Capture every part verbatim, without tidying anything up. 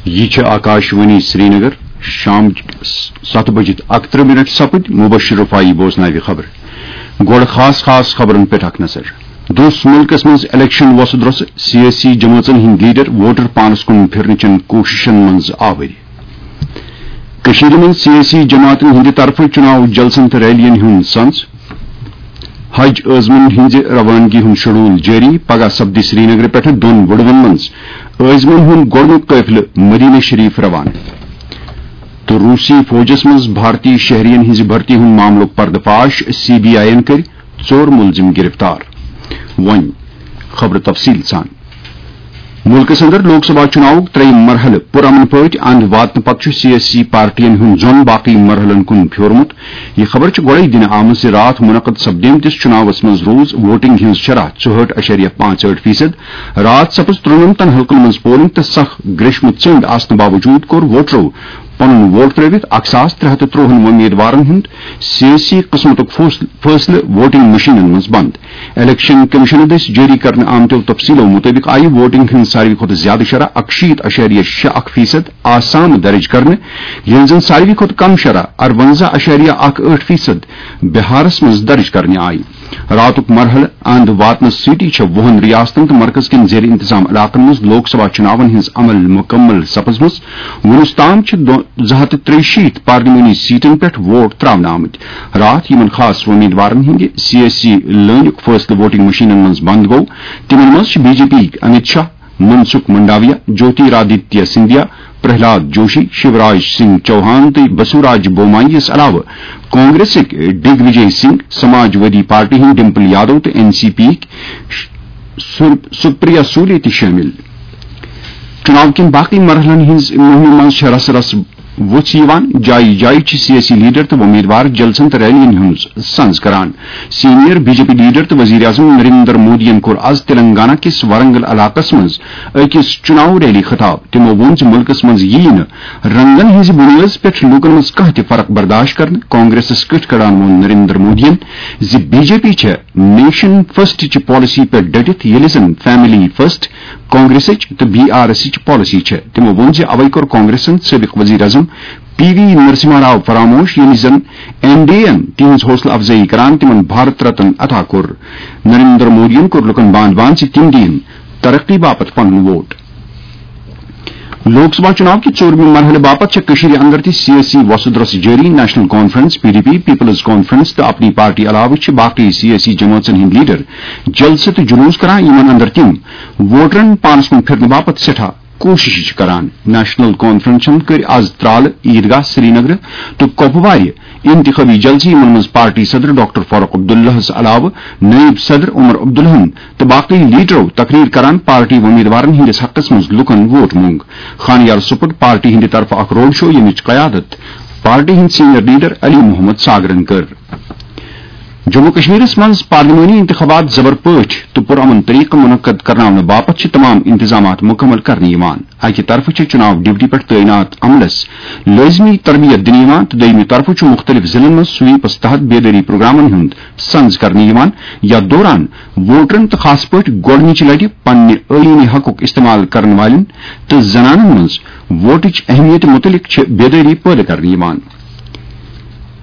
یہِ چھِ آکاشوانی سرینگر۔ شام ستھ بجِتھ اکترٕہ منٹ سپٕدۍ۔ مبشر رفاعی بوزناوِ خبر۔ گۄڈٕ خاص خاص خبرن پٮ۪ٹھ اکھ نظر۔ دوٚس مُلکس منٛز الیکشن وۄسہٕ درۄسہٕ، سیٲسی جمٲژن ہٕنٛدۍ لیڈر ووٹر پانس کُن پھرنہٕ چٮ۪ن کوٗششن منٛز آوٕرۍ۔ کٔشیٖرِ منٛز سیٲسی جماعتن ہٕنٛدِ طرفہٕ چُناو جلسن تہٕ ریلین ہُنٛد سنز۔ حج عٲزمن ہٕنٛزِ روانگی ہُنٛد شیڈول جٲری۔ پگاہ سپدِ سرینگرٕ پٮ۪ٹھٕ دۄن وُڑوَن منٛز عٲزمن ہُنٛد گۄڈٕنیُک قٲفلہٕ مدینہ شریف روانہٕ۔ تہٕ روٗسی فوجس منٛز بھارتی شہرین ہٕنٛزِ بھرتی ہُنٛد معاملُک پردٕ فاش، سی بی آئی یَن کٔرۍ ژور مُلزِم گِرفتار۔ وۄنۍ خبرٕ تفصیٖل سان۔ مُلکس اندر لوک سبھا چُناوُک ترٛیٚیِم مرحلہٕ پُرامن پٲٹھۍ اند واتنہٕ پتہٕ چھُ سیٲسی پارٹین ہُنٛد زۄن باقٕے مرحلن کُن پھیورمُت۔ یہِ خبر چھِ گۄڈَے دِنہٕ آمٕژ زِ راتھ منعقد سپدیمتِس چُناوس منٛز روٗز ووٹنگ ہٕنٛز شرح ژُہٲٹھ اعشاریہ پانٛژھ ٲٹھ فیصد۔ راتھ سپٕز ترٛنَمتن حلقن منٛز پولنگ تہٕ سخ گریشمہٕ ژٔنٛدۍ آسنہٕ باوجوٗد کوٚر ووٹرو پنُن ووٹ ترٲوِتھ اکھ ساس ترٛےٚ ہتھ تہٕ ترٛۆہَن وۄمیدوارن ہُنٛد سیٲسی قٕسمتُک فٲصل-، فٲصلہٕ ووٹنگ مشینن منٛز بند۔ الیکشن کمیشن دٔسۍ جٲری کرنہٕ آمتیو تفصیلو مُطٲبِق آیہِ ووٹنگ ہٕنٛز ساروی کھۄتہٕ زیادٕ شرح اکشیٖتھ اعشاریہ شےٚ اکھ فیصد آسام درج کرنہٕ، ییٚلہِ زن ساروی کھۄتہٕ کم شرح اروَنزاہ اعشاریہ اکھ ٲٹھ فیصد بہارس منٛز درج کرنہٕ آیہِ۔ راتُک مرحلہٕ اند واتنس سۭتی چھےٚ وُہن ریاستن تہٕ مرکز کٮ۪ن زیر انتظام علاقن منٛز لوک سبھا چُناون ہٕنٛز عمل مُکمل سپٕزمٕژ۔ وُنیُس تام چھِ دۄ-، زٕ ہتھ تہٕ ترٛیہِ شیٖتھ پارلیمانی سیٹن پٮ۪ٹھ ووٹ تراونہٕ آمٕتۍ۔ راتھ یِمن خاص وۄمیدوارن ہٕنٛدِ سیٲسی لٲنیُک فٲصلہٕ ووٹنگ مشینن منٛز بند گوٚو، تِمن منٛز چھِ بی جے پی یِکۍ امت شاہ، منسکھ منڈاویا، جوتیرادتیہ سندھیا، پرہلاد جوشی، شیوراج سنگھ چوہان تہٕ بسوراج بومائی یَس علاوٕ کانگریسٕکۍ ڈگ وجے سنگھ، سماج وادی پارٹی ہٕنٛدۍ ڈمپل یادو تہٕ این سی پی یِکۍ سُر-، سپریا سولے تہِ شٲمِل۔ چُناو کٮ۪ن باقٕے مرحلن ہٕنٛز مُہِمہِ منٛز چھےٚ رسہٕ رسہٕ وُژھ یِوان۔ جایہِ جایہِ چھِ سیٲسی لیڈر تہٕ وۄمیدوار جلسن تہٕ ریلین ہٕنٛز سنز کران۔ Senior B J P leader تہٕ وزیر اعظم نریندر مودیَن کوٚر از تلنگانہ کِس ورنگل علاقس منٛز أکِس چُناو ریلی خطاب۔ تِمو ووٚن زِ مُلکس منٛز یِیہِ نہٕ رنگن ہٕنٛزِ بُنیٲدس پٮ۪ٹھ لوٗکن منٛز کانٛہہ تہِ فرق برداشت کرنہٕ۔ کانگریسس کٔٹھۍ کڑان ووٚن نریندر مودیَن زِ بی جے پی چھےٚ نیشن فرسٹ چہِ پالیسی پٮ۪ٹھ ڈٔٹِتھ، ییٚلہِ زن فیملی فرسٹ کانگریسٕچ تہٕ بی آر ایسٕچ پالیسی چھےٚ۔ تِمو ووٚن زِ اوے کوٚر کانگریسن سٲبق وزیر اعظم پی وی نرسمہا راو فراموش، ییٚمہِ زن این ڈی اے یَن تِہنٛز حوصلہٕ افزٲیی کران تِمن بھارت رتن عطا کوٚر۔ نریندر مودیَن کوٚر لوٗکن باند باند زِ تِم دِیِن ترقی باپتھ پنُن ووٹ۔ لوک سبھا چُناو کہِ ژوٗرمہِ مرحلہٕ باپتھ چھےٚ کٔشیٖرِ اندر تہِ سیٲسی وۄسہٕ درۄسہٕ جٲری۔ National conference, P D P, peoples conference تہٕ اپنی پارٹی علاوٕ چھِ باقٕے سیٲسی جمٲژن ہٕنٛدۍ لیڈر جلسہٕ تہٕ جلوس کران، یِمن اندر تِم ووٹرن پانس کُن پھرنہٕ باپتھ سٮ۪ٹھاہ کوٗشش چھِ کران۔ نیشنل کانفرنسن کٔرۍ از ترالہٕ، عیدگاہ سرینگرٕ تہٕ کۄپوارِ انتخابی جلسہٕ، یِمن منٛز پارٹی صدر ڈاکٹر فاروق عبداللہس علاوٕ نٲیِب صدر عمر عبداللہن تہٕ باقٕے لیڈرو تقریر کران پارٹی وۄمیدوارن ہٕنٛدِس حقس منٛز لوٗکن ووٹ مۄنگ۔ خانیار سپُد پارٹی ہٕنٛدِ طرفہٕ اکھ روڈ شو، ییٚمِچ قیادت پارٹی ہٕنٛدۍ سینئر لیڈر علی محمد ساگرن کٔر۔ جموں کشمیرس منٛز پارلیمانی انتخابات زبر پٲٹھۍ تہٕ پرامن طریقہٕ منعقد کرناونہٕ باپتھ چھِ تمام انتظامات مکمل کرنہٕ یِوان۔ اکہِ طرفہٕ چھِ چُناو ڈیوٹی پٮ۪ٹھ تعینات عملس لٲزمی تربیت دِنہٕ یِوان تہٕ دوٚیمہِ طرفہٕ چھُ مُختٔلِف ضلعن منٛز سویپس تحت بیدٲری پروگرامن ہُنٛد سنز کرنہٕ یِوان، یتھ دوران ووٹرن تہٕ خاص پٲٹھۍ گۄڈٕنِچہِ لٹہِ پننہِ ٲیٖنی حقُک استعمال کرن والٮ۪ن تہٕ زنانن منٛز ووٹٕچ اہمیت مُتعلق چھِ بیدٲری پٲدٕ کرنہٕ یِوان۔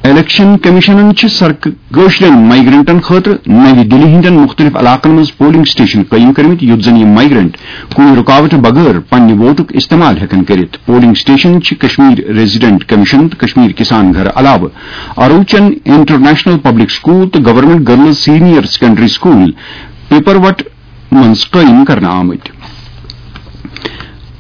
الیکشن کمیشنن چھِ سرک-، کٲشرٮ۪ن مائیگرنٹن خٲطرٕ نَوِ دِلہِ ہٕنٛدٮ۪ن مُختٔلِف علاقن منٛز پولنگ سٹیشن قٲیِم کٔرمٕتۍ، یُتھ زن یِم مائیگرنٹ کُنہِ رُکاوٹہٕ بغٲر پننہِ ووٹُک استعمال ہٮ۪کن کٔرِتھ۔ پولنگ سٹیشن چھِ کشمیر ریزیڈنٹ کمیشن تہٕ کشمیر کسان گھر علاوٕ اروچن انٹرنیشنل پبلک سکول تہٕ government girls senior secondary school پیپروٹ منٛز قٲیِم کرنہٕ آمٕتۍ۔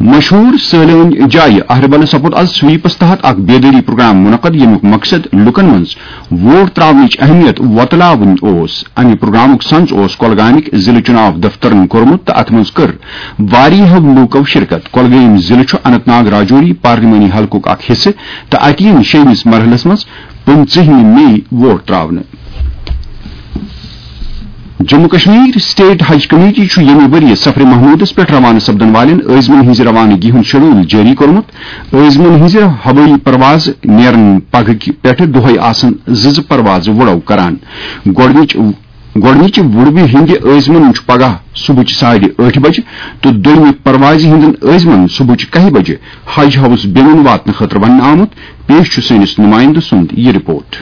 مشہوٗر سٲلٲنۍ جایہِ اہربلس سپُد از سویپس تحت اکھ بیدٲری پروگرام منعقد، ییٚمیُک مقصد لوٗکن منٛز ووٹ تراونٕچ اہمیت وۄتلاوٕنۍ اوس۔ امہِ پروگرامُک سنز اوس کۄلگامٕکۍ ضلعہٕ چُناو دفترن کوٚرمُت تہٕ اتھ منٛز کٔر واریاہو لوٗکو شرکت۔ کۄلگٲمۍ ضلعہٕ چھُ اننت ناگ راجوری پارلیمانی حلقُک اکھ حصہٕ تہٕ اتہِ یِن شیٚیمِس مرحلس منٛز پٕنٛژٕہمہِ مئی ووٹ تراونہٕ۔ جموں کشمیر سٹیٹ حج کمیٹی چھُ ییٚمہِ ؤرۍ یہِ سفر محمودس پٮ۪ٹھ روانہٕ سپدن والٮ۪ن عٲزمن ہٕنٛزِ روانگی ہُنٛد شیڈول جٲری کوٚرمُت۔ عٲزمن ہٕنٛزِ ہوٲیی پرواز نیرن پگہٕ کہِ پٮ۪ٹھٕ دۄہے آسن زٕ زٕ پروازٕ وُڑو کران۔ گۄڈٕنِچ گۄڈٕنِچہِ وُڈوِ ہٕنٛدِ عٲزمن چھُ پگاہ صبحٕچہِ ساڑِ ٲٹھِ بجہِ تہٕ دوٚیمہِ پروازِ ہٕنٛدٮ۪ن عٲزمن صبحٕچہِ کاہہِ بجہِ حج ہاوس بیرون واتنہٕ خٲطرٕ وننہٕ آمُت۔ پیش چھُ سٲنِس نُمٲیندٕ سُنٛد یہِ رپورٹ۔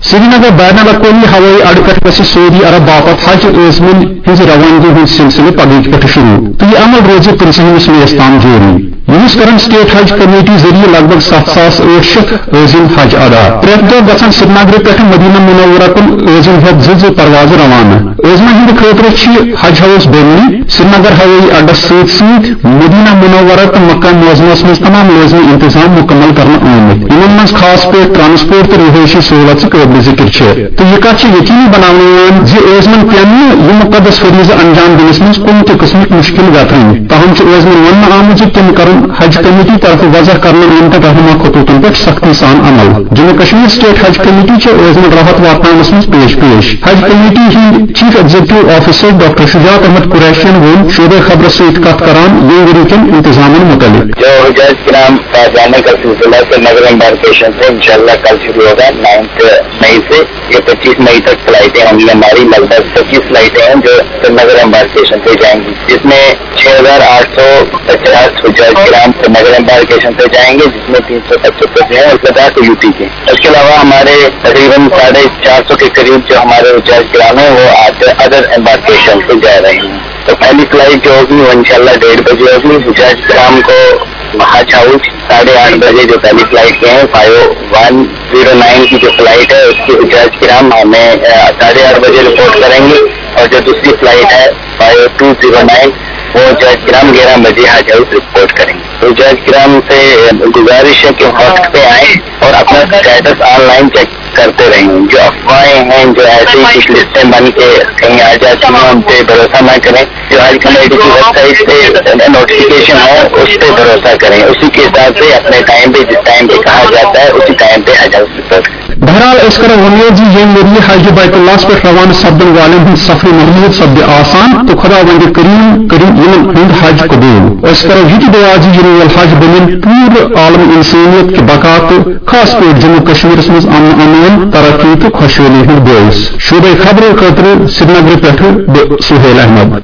سرینگر بین الاقوٲمی ہوٲیی اڈٕ پٮ۪ٹھ گژھِ سعودی عرب باپتھ حج عٲزمن ہٕنٛزِ روانگی ہُنٛد سلسلہٕ پگہٕکۍ پٮ۪ٹھٕ شروع تہٕ یہِ عمل روزِ پٕنٛژٕہمِس مئی یَس تام جٲری۔ یِہُس کرن سٹیٹ حج کمیٹی ذٔریعہٕ لگ بھگ ستھ ساس ٲٹھ شیٚتھ عٲزم حج ادا۔ پرٛٮ۪تھ دۄہ گژھن سرینگرٕ پٮ۪ٹھٕ مدینہ منورہ کُن عٲزم ہٮ۪تھ زٕ زٕ پروازٕ روانہٕ۔ عٲزمن ہٕنٛدِ خٲطرٕ چھِ حج ہاوس بیرونی سرینگر ہوٲیی اڈس سۭتۍ سۭتۍ مدینہ منورہ تہٕ مکہ معظمس منٛز تمام لٲزمی انتظام مکمل کرنہٕ آمٕتۍ، یِمن منٛز خاص پٲٹھۍ ٹرانسپورٹ تہٕ رہٲیشی سہولت تہِ قٲبلِ ذکر چھِ۔ تہٕ یہِ کتھ چھِ یقینی بناونہٕ یِوان زِ عٲزمن پیٚن نہٕ یہِ مقدس فریضہٕ انجام دِنس منٛز کُنہِ تہِ قٕسمٕکۍ مُشکل گژھٕنۍ۔ تاہم چھُ عٲزمن وننہٕ آمُت زِ تِم کرن حج کمیٹی طرفہٕ وضع کرنہٕ آمتٮ۪ن رہنما خطوطن پٮ۪ٹھ سختی سان عمل۔ جموں کشمیر سٹیٹ حج کمیٹی چھِ عٲزمن راحت واتناونس منٛز پیش پیش۔ حج کمیٹی ہٕنٛدۍ چیف ایگزیکٹو آفیسر ڈاکٹر شجاعت احمد قریشین ووٚن شعبہ خبرس سۭتۍ کتھ کران ییٚمہِ ؤری کٮ۪ن انتظامن متعلق۔ جو حجاج کرام کا جانے کا سلسلہ سرینگر امبارکیشن سے انشاءاللہ کل شروع ہوگا، نائنتھ مئی سے۔ یہ پچیس مئی تک فلائٹیں ہوں گی ہماری، لگ بھگ پچیس فلائٹیں ہیں جو سرینگر امبارکیشن سے جائیں گی، جس میں چھ ہزار آٹھ سو پچاس حجاج کرام سرینگر امبارکیشن سے جائیں گے، جس میں تین سو پچہتر جو ہیں اس کے یو پی کے۔ اس کے علاوہ ہمارے تقریباً ساڑھے چار سو کے قریب جو ہمارے حجاج کرام ہیں وہ ادر امبارکیشن سے جا رہے ہیں۔ تو پہلی فلائٹ جو ہوگی وہ انشاءاللہ ڈیڑھ بجے ہوگی۔ حجاج کرام کو حج ہاؤس ساڑھے آٹھ بجے جو پہلی فلائٹ کے ہیں، فائیو ون زیرو نائن کی جو فلائٹ ہے، اس کی حجاج کرام ہمیں، آ، ساڑھے آٹھ بجے رپورٹ کریں گے، اور جو دوسری flight Hai five to zero nine, وہ حجاج کرام گیارہ بجے حج ہاؤس رپورٹ کریں گے۔ حجاج کرام سے گزارش ہے کہ وقت پہ آئیں اور اپنا اسٹیٹس آن لائن چیک کرتے رہیں۔ جو افواہیں ہیں، جو ایسے ہی کچھ لسٹیں بن کے کہیں آ جاتی ہیں، ان پہ بھروسہ نہ کریں۔ جو حج کمیٹی کی ویب سائٹ پہ نوٹیفکیشن ہے، اس پہ بھروسہ کریں، اسی کے حساب سے اپنے ٹائم پہ، جس ٹائم پہ کہا جاتا ہے، اسی ٹائم پہ حج ہاؤس رپورٹ کریں۔ بہرحال، أسۍ کرو وۄمید زِ ییٚمہِ ؤرۍ یہِ حج بیت اللہس پٮ۪ٹھ روانہٕ سپدن والٮ۪ن ہُنٛد سفر محمود سپدِ آسان تہٕ خداوند کریم کٔرِن یِمن ہُنٛد حج قبوٗل۔ أسۍ کرو یہِ تہِ دُعا زِ یِنہٕ وول حج بنِن پوٗرٕ عالم انسٲنیت کہِ بقا تہٕ خاص پٲٹھۍ جموں کشمیرس منٛز امن امان، ترقی تہٕ خۄشحٲلی ہُنٛد بٲعث۔ شعبہ خبرٕ خٲطرٕ سرینگرٕ پٮ۪ٹھٕ بہٕ سہیل احمد۔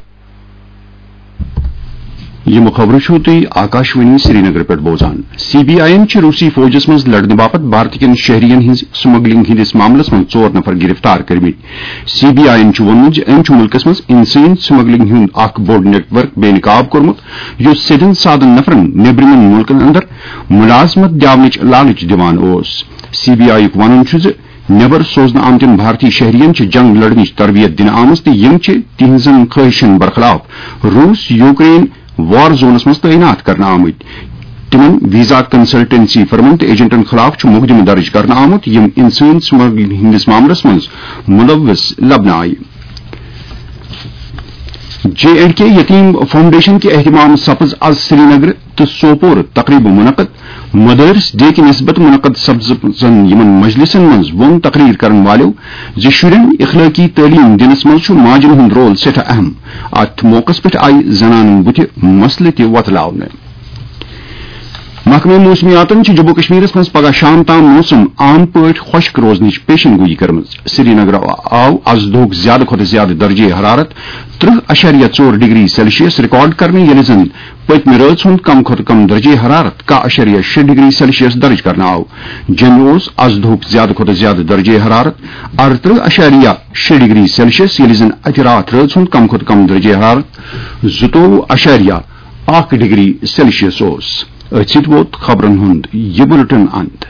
یِم خبرٕ چھِو تُہۍ آکاشوانی سرینگرٕ پٮ۪ٹھ بوزان۔ سی بی آئی یَن چھِ روٗسی فوجَس منٛز لڑنہٕ باپتھ بھارتہٕ کٮ۪ن شہرِین ہٕنٛز سمگلنگ ہٕنٛدِس معاملَس منٛز ژور نفر گرفتار کٔرمٕتۍ۔ سی بی آئی یَن چھُ ووٚنمُت زِ أمۍ چھُ مُلکَس منٛز انسٲنی سمگلنگ ہُنٛد اکھ بوٚڑ نیٹ ورک بے نقاب کوٚرمُت، یُس سیٚدٮ۪ن سادن نفرَن نیٚبرِمٮ۪ن مُلکَن اندر مُلازمت دِنٕچ لالچ دِوان اوس۔ سی بی آئی یُک وَنُن چھُ زِ نیبر سوزنہٕ آمتٮ۪ن بھارتی شہرین چھِ جنگ لڑنٕچ تربیت دِنہٕ آمٕژ تہٕ یِم چھِ تِہنٛزن خٲہشن برخلاف روٗس یوکرین وار زونس منٛز تعینات کرنہٕ آمٕتۍ۔ تِمن ویزا کنسلٹنسی فرمن تہٕ ایجنٹن خلاف چھُ مقدمہٕ درج کرنہٕ آمُت، یِم انسان سمگلنگ ہٕنٛدِس معاملس منٛز ملوث لبنہٕ آیہِ۔ جے اینڈ کے یتیم فاؤنڈیشن کہِ اہتمام سپز از سرینگر تہٕ سوپور تقریبہٕ منعقد۔ مدارس ڈے کہِ نسبت منعقد سپزن یِمن مجلسن منٛز ووٚن تقریر کرن والٮ۪و زِ شُرٮ۪ن اخلٲقی تعلیٖم دِنس منٛز چھُ ماجن ہُنٛد رول سٮ۪ٹھاہ اہم۔ اتھ موقعس پٮ۪ٹھ آیہِ زنانن بُتھِ مسلہٕ تہِ وۄتلاونہٕ۔ محکمہٕ موسمیاتن چھُ جموں کشمیرس منٛز پگاہ شام تام موسم عام پٲٹھۍ خۄشک روزنٕچ پیشن گویی کٔرمٕژ۔ سرینگر آو از دۄہُک زیادٕ کھۄتہٕ زیادٕ درجہ حرارت ترٕہ اَشاریہ ژور ڈگری سیلسیس ریکارڈ کرنہٕ، ییٚلہِ زن پٔتمہِ رٲژ ہُنٛد کم کھۄتہٕ کم درجہ حرارت کاہ اَشاریہ شےٚ ڈگری سیلسیس درج کرنہٕ آو۔ جوٚمہِ اوس از دۄہُک زیادٕ کھۄتہٕ زیادٕ درجہ حرارت ارترٕہ اَشاریہ شےٚ ڈگری سیلسیس، ییٚلہِ زن اتہِ راتھ رٲژ ہُنٛد کم کھۄتہٕ کم درجہ حرارت زٕتووُہ اَشاریہ اکھ ڈگری سیلسیس اوس۔ أتھۍ سۭتۍ ووت خبرن ہُنٛد یہِ بُلٹن اند۔